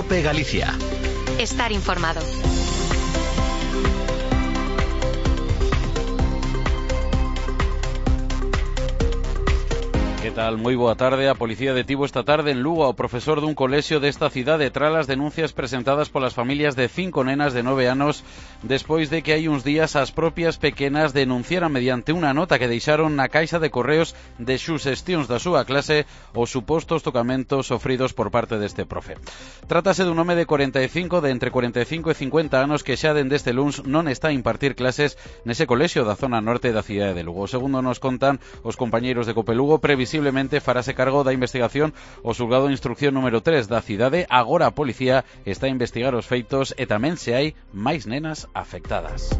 COPE Galicia. Estar informado. Que tal? Moi boa tarde. A policía detivo esta tarde en Lugo ao profesor dun colexio desta cidade tras as denuncias presentadas polas familias de 5 nenas de 9 anos despois de que hai uns días as propias pequenas denunciaran mediante unha nota que deixaron na caixa de correos de xusestións da súa clase os supostos tocamentos sofridos por parte deste profe. Trátase dun home de 45, de entre 45 e 50 anos que xa dende este luns non está a impartir clases nese colexio da zona norte da cidade de Lugo. Segundo nos contan os compañeiros de COPE Lugo, previsiblemente farase cargo da investigación o xulgado de instrucción número 3 da cidade. Agora a policía está a investigar os feitos e tamén se hai máis nenas afectadas.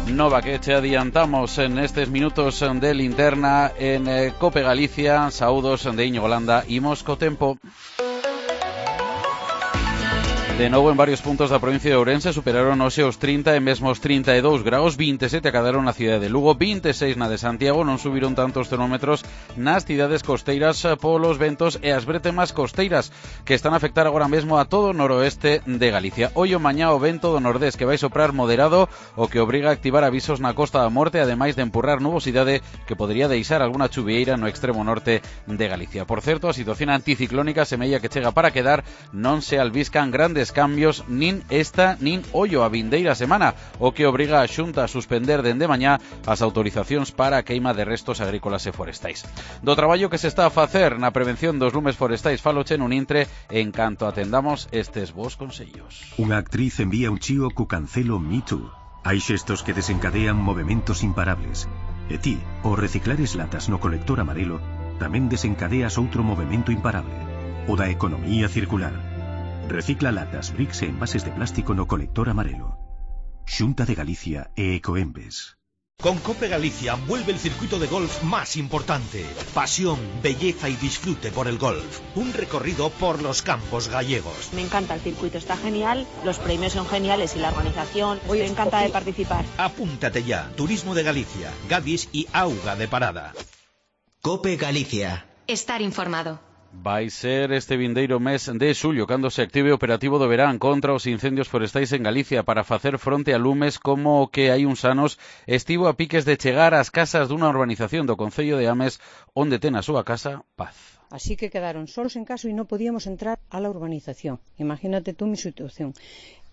Nova que che adiantamos en estes minutos de linterna en COPE Galicia. Saúdos de Íñigo Landa. Imos co tempo. De novo, en varios puntos da provincia de Ourense superaron hoxe os 30 e mesmo os 32 graus, 27 acadaron na cidade de Lugo, 26 na de Santiago. Non subiron tantos termómetros nas cidades costeiras polos ventos e as bretemas costeiras que están a afectar agora mesmo a todo o noroeste de Galicia. Hoy o mañá o vento do nordés que vai soprar moderado, o que obriga a activar avisos na Costa da Morte, ademais de empurrar nubosidade que podría deixar alguna chuvieira no extremo norte de Galicia. Por certo, a situación anticiclónica semella que chega para quedar, non se albiscan grandes cambios nin esta nin ollo a vindeira semana, o que obriga a Xunta a suspender dende mañá as autorizacións para a queima de restos agrícolas e forestais. Do traballo que se está a facer na prevención dos lumes forestais faloche nun intre en canto atendamos estes bons consellos. Unha actriz envía un chío cu cancelo Me Too. Hai xestos que desencadean movementos imparables. E ti, ao reciclares latas no colector amarelo, tamén desencadeas outro movemento imparable, o da economía circular. Recicla latas, bricks e envases de plástico no colector amarelo. Xunta de Galicia e Ecoembes. Con COPE Galicia vuelve el circuito de golf más importante. Pasión, belleza y disfrute por el golf. Un recorrido por los campos gallegos. Me encanta el circuito, está genial, los premios son geniales y la organización, me encanta de participar. Apúntate ya. Turismo de Galicia, Gadis y Auga de Parada. COPE Galicia. Estar informado. Vai ser este vindeiro mes de xullo cando se active o operativo do verán contra os incendios forestais en Galicia para facer fronte a lumes como o que hai uns anos estivo a piques de chegar ás casas dunha urbanización do concello de Ames onde ten a súa casa Paz. Así que quedaron solos en casa y no podíamos entrar a la urbanización. Imagínate tú mi situación.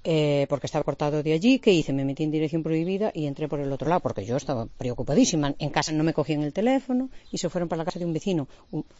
Porque estaba cortado de allí, ¿qué hice? Me metí en dirección prohibida y entré por el otro lado, porque yo estaba preocupadísima. En casa no me cogían el teléfono y se fueron para la casa de un vecino.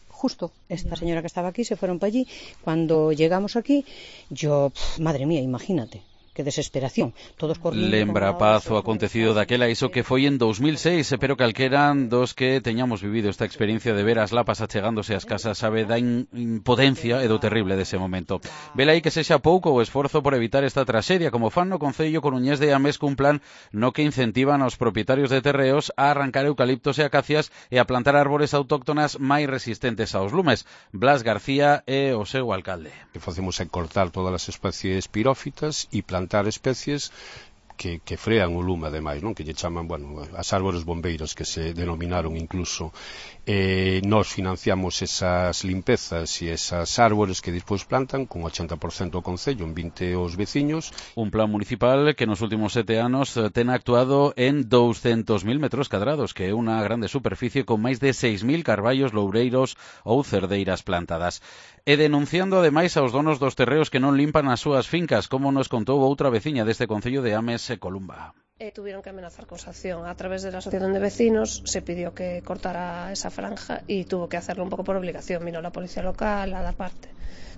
Justo esta señora que estaba aquí se fueron para allí. Cuando llegamos aquí, yo, madre mía, imagínate. Que desesperación, todos corriendo. Lembra Paz o acontecido daquela, iso que foi en 2006, pero calqueran dos que teñamos vivido esta experiencia de ver as lapas achegándose ás casas sabe da impotencia e do terrible dese momento. Vela aí que sexa pouco o esforzo por evitar esta traxedia, como fan no concello coruñés de Ames cun plan no que incentivan aos propietarios de terreos a arrancar eucaliptos e acacias e a plantar árbores autóctonas máis resistentes aos lumes. Blas García é o seu alcalde. Que facemos é cortar todas as especies pirófitas e plantar especies que frean o lume, ademais, non? Que lle chaman, bueno, as árbores bombeiros que se denominaron incluso. Nós financiamos esas limpezas e esas árbores que despois plantan con 80% o concello, en 20 os veciños. Un plan municipal que nos últimos 7 anos ten actuado en 200.000 metros cadrados, que é unha grande superficie con máis de 6.000 carballos, loureiros ou cerdeiras plantadas. E denunciando ademais aos donos dos terreos que non limpan as súas fincas, como nos contou outra veciña deste concello de Ames, Columba. Tuvieron que amenazar con sanción. A través de la asociación de vecinos se pidió que cortara esa franja y tuvo que hacerlo un poco por obligación. Vino la policía local a dar parte.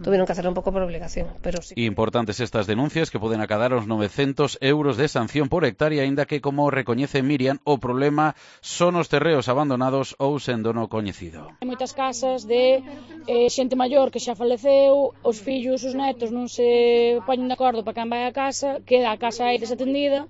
Tuvieron que hacerlo un poco por obligación, pero sí. Importantes estas denuncias que poden acadar os 900 euros de sanción por hectárea, aínda que, como recoñece Miriam, o problema son os terreos abandonados ou sen dono coñecido. Hai moitas casas de xente maior que xa faleceu, os fillos, os netos non se poñen de acordo para quen vai a casa, queda a casa aí desatendida.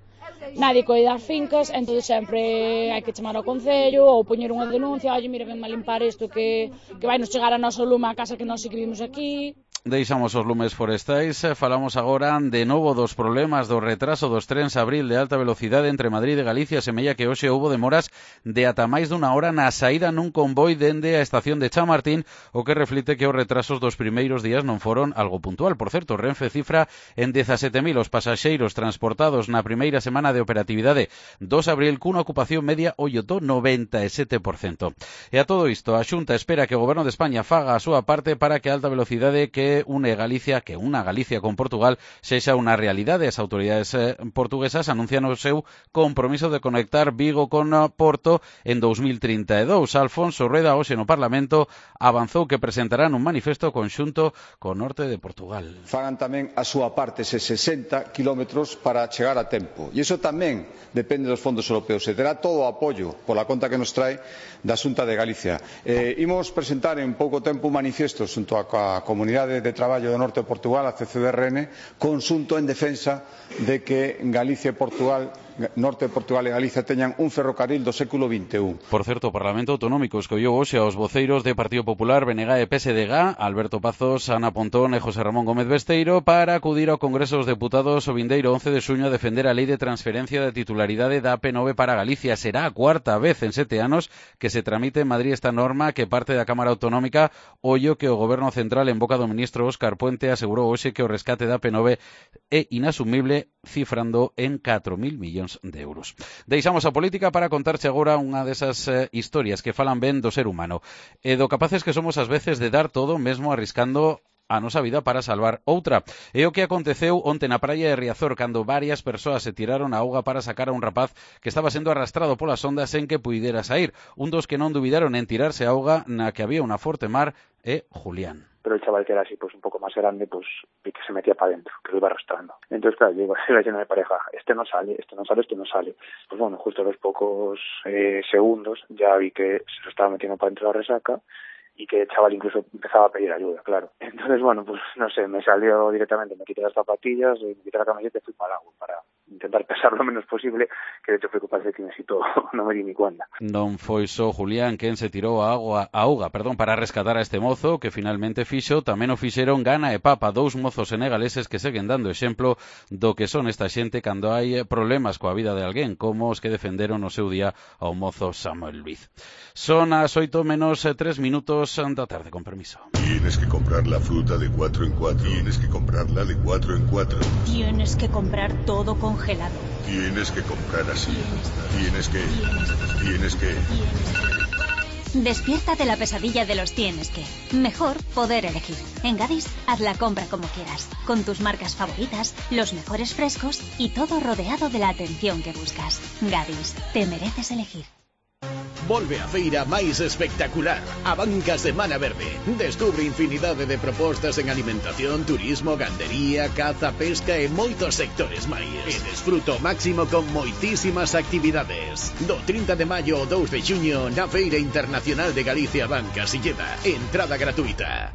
Nadie coida as fincas, entón sempre hai que chamar ao concello ou poñer unha denuncia, oye, mira, venme a limpar isto que vai nos chegar a noso lume a casa que nós que vivimos aquí. Deixamos os lumes forestais, falamos agora de novo dos problemas do retraso dos trens Abril de alta velocidade entre Madrid e Galicia. Semella que hoxe houbo demoras de ata máis dunha hora na saída nun convoi dende a estación de Chamartín, o que reflite que os retrasos dos primeiros días non foron algo puntual. Por certo, Renfe cifra en 17.000 os pasaxeiros transportados na primeira semana de operatividade 2 Abril cunha ocupación media do 97%. E a todo isto, a Xunta espera que o Goberno de España faga a súa parte para que a alta velocidade que unha Galicia con Portugal sexa unha realidade. As autoridades portuguesas anuncian o seu compromiso de conectar Vigo con Porto en 2032. Alfonso Rueda hoxe no Parlamento avanzou que presentarán un manifesto conxunto co norte de Portugal. Fagan tamén a súa parte eses 60 kilómetros para chegar a tempo. E iso tamén depende dos fondos europeos. Se terá todo o apoio pola conta que nos trae da Xunta de Galicia. Imos presentar en pouco tempo un manifesto xunto a Comunidade de Traballo do Norte de Portugal, a CCDRN, conxunto en defensa de que Galicia e Portugal, Norte de Portugal e Galicia teñan un ferrocarril do século XXI. Por certo, o Parlamento Autonómico escolleu hoxe aos voceiros de Partido Popular, BNG e PSDG, Alberto Pazos, Ana Pontón e José Ramón Gómez Besteiro, para acudir ao Congreso dos Deputados o vindeiro 11 de xuño a defender a lei de transferencia de titularidade da AP9 para Galicia. Será a cuarta vez en 7 anos que se tramite en Madrid esta norma que parte da Cámara Autonómica, ollo que o Goberno Central en boca do ministro Óscar Puente asegurou hoxe que o rescate da AP9 é inasumible, cifrando en 4.000 millóns de euros. Deixamos a política para contarche agora unha desas historias que falan ben do ser humano e do capaces que somos ás veces de dar todo mesmo arriscando a nosa vida para salvar outra. É o que aconteceu onte na praia de Riazor cando varias persoas se tiraron a auga para sacar a un rapaz que estaba sendo arrastrado polas ondas sen que puidera sair. Un dos que non dubidaron en tirarse a auga na que había unha forte mar é Julián. Pero el chaval que era así, pues un poco más grande, pues vi que se metía para adentro, que lo iba arrastrando. Entonces, claro, yo iba lleno de pareja, este no sale. Pues bueno, justo a los pocos segundos ya vi que se lo estaba metiendo para dentro de la resaca y que el chaval incluso empezaba a pedir ayuda, claro. Entonces, bueno, pues no sé, me salió directamente, me quité las zapatillas, me quité la camiseta y fui para el agua, para intentar pesar lo menos posible, que de hecho fui capaz de que necesito, no me di ni cuenta. Non foi só Julián quen se tirou a auga para rescatar a este mozo, que finalmente fixo, tamén o fixeron Gana e Papa, dous mozos senegaleses que seguen dando exemplo do que son esta xente cando hai problemas coa vida de alguén, como os que defenderon no seu día ao mozo Samuel Luiz. Son as 8 menos 3 minutos da tarde, con permiso. Tienes que comprar la fruta de 4 en 4. Tienes que comprarla de 4 en 4. Tienes que comprar todo congelado. Tienes que comprar así. Tienes que. Despierta de la pesadilla de los tienes que. Mejor poder elegir. En Gadis, haz la compra como quieras, con tus marcas favoritas, los mejores frescos y todo rodeado de la atención que buscas. Gadis, te mereces elegir. Volve a feira máis espectacular, a Banca Semana Verde. Descubre infinidade de propostas en alimentación, turismo, gandería, caza, pesca e moitos sectores máis. E desfruto máximo con moitísimas actividades. Do 30 de maio ao 2 de xuño na Feira Internacional de Galicia Banca Silleda. Entrada gratuita.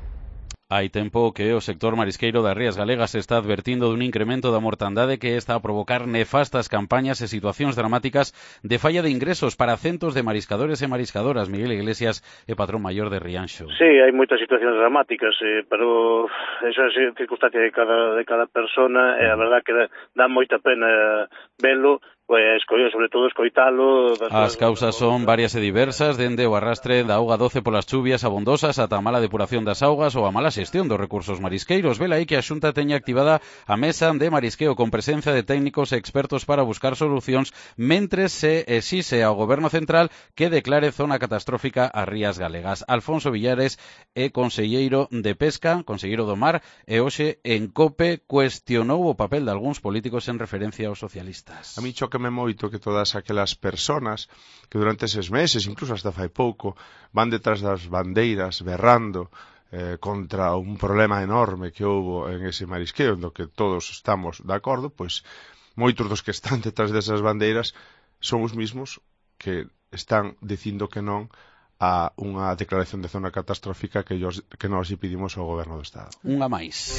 Hai tempo que o sector marisqueiro das Rías Galegas está advertindo dun incremento da mortandade que está a provocar nefastas campañas e situacións dramáticas de falla de ingresos para centos de mariscadores e mariscadoras. Miguel Iglesias é patrón maior de Rianxo. Sí, hai moitas situacións dramáticas, pero esa é a circunstancia de cada persona e a verdad que dá moita pena velo. Pues sobre todo escoitalo. As causas son varias e diversas, dende o arrastre da auga doce polas chuvias abondosas ata a mala depuración das augas ou a mala xestión dos recursos marisqueiros. Vela aí que a Xunta teña activada a mesa de marisqueo con presencia de técnicos e expertos para buscar solucións, mentres se exixe ao Goberno Central que declare zona catastrófica as Rías Galegas. Alfonso Villares é conselleiro de Pesca, conselleiro do Mar, e hoxe en COPE cuestionou o papel de algúns políticos en referencia aos socialistas. A mí chócame moito que todas aquelas personas que durante eses meses, incluso hasta fai pouco, van detrás das bandeiras berrando contra un problema enorme que houbo en ese marisqueo, do que todos estamos de acordo, pois moitos dos que están detrás desas bandeiras son os mismos que están dicindo que non a unha declaración de zona catastrófica que nós lle pedimos ao Goberno do Estado. Unha máis.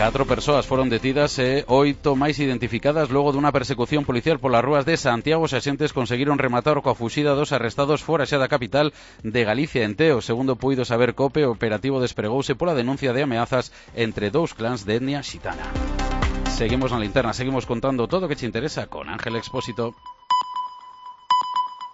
4 persoas foron detidas e 8 máis identificadas logo dunha persecución policial polas rúas de Santiago. Os axentes conseguiron rematar coa fuxida dos arrestados fora xa da capital de Galicia, en Teo. Segundo puido saber COPE, o operativo despregouse pola denuncia de ameazas entre dous clans de etnia xitana. Seguimos na linterna, seguimos contando todo o que te interesa con Ángel Expósito.